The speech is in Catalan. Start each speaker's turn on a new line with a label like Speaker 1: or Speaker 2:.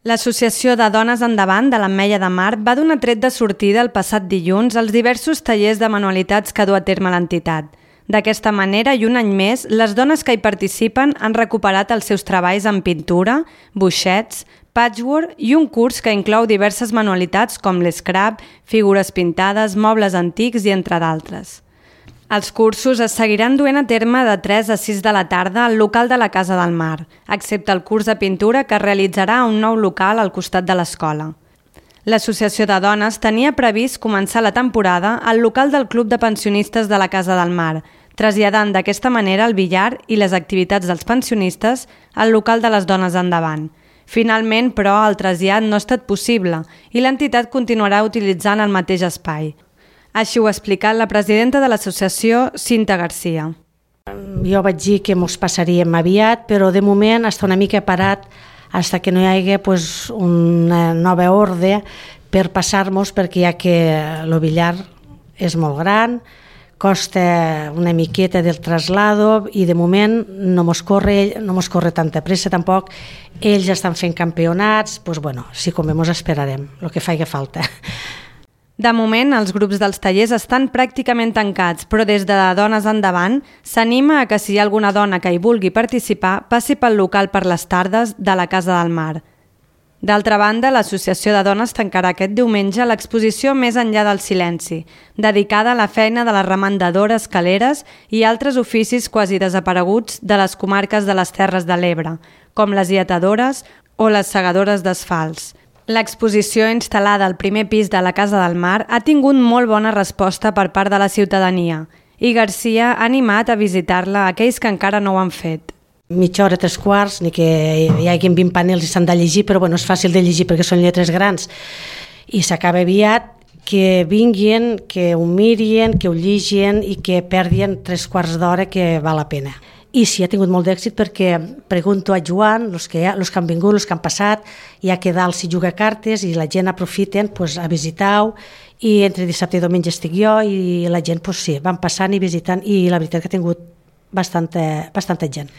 Speaker 1: L'Associació de Dones Endavant de l'Ametlla de Mar va donar tret de sortida el passat dilluns als diversos tallers de manualitats que du a terme l'entitat. D'aquesta manera, i un any més, les dones que hi participen han recuperat els seus treballs en pintura, boixets, patchwork i un curs que inclou diverses manualitats com l'escrap, figures pintades, mobles antics i entre d'altres. Els cursos es seguiran duent a terme de 3 a 6 de la tarda al local de la Casa del Mar, excepte el curs de pintura que es realitzarà a un nou local al costat de l'escola. L'Associació de Dones tenia previst començar la temporada al local del Club de Pensionistes de la Casa del Mar, traslladant d'aquesta manera el billar i les activitats dels pensionistes al local de les Dones Endavant. Finalment, però, el trasllat no ha estat possible i l'entitat continuarà utilitzant el mateix espai. Així ho ha explicat la presidenta de l'associació, Cinta Garcia.
Speaker 2: Jo vaig dir que mos passaríem aviat, però de moment està una mica parat fins que no hi hagi una nova ordre per passar-nos, perquè ja que el billar és molt gran, costa una miqueta del traslado i de moment no mos corre tanta pressa tampoc. Ells estan fent campionats, si convé mos esperarem, el que faci falta.
Speaker 1: De moment, els grups dels tallers estan pràcticament tancats, però des de Dones Endavant s'anima a que si hi ha alguna dona que hi vulgui participar, passi pel local per les tardes de la Casa del Mar. D'altra banda, l'Associació de Dones tancarà aquest diumenge l'exposició Més enllà del silenci, dedicada a la feina de les remandadores, caleres i altres oficis quasi desapareguts de les comarques de les Terres de l'Ebre, com les lletadores o les segadores d'asfalts. L'exposició instal·lada al primer pis de la Casa del Mar ha tingut molt bona resposta per part de la ciutadania i Garcia ha animat a visitar-la a aquells que encara no ho han fet.
Speaker 2: Mitja hora, 3/4, ni que hi hagi 20 panels i s'han de llegir, però és fàcil de llegir perquè són lletres grans i s'acaba aviat. Que vinguin, que ho mirin, que ho llegin i que perdin 3/4 d'hora, que val la pena. I sí, ha tingut molt d'èxit perquè pregunto a Joan, els que han vingut, els que han passat, ja que dalt s'hi juga cartes i la gent aprofiten a visitar-ho, i entre dissabte i diumenge estic jo i la gent van passant i visitant, i la veritat que ha tingut bastanta gent.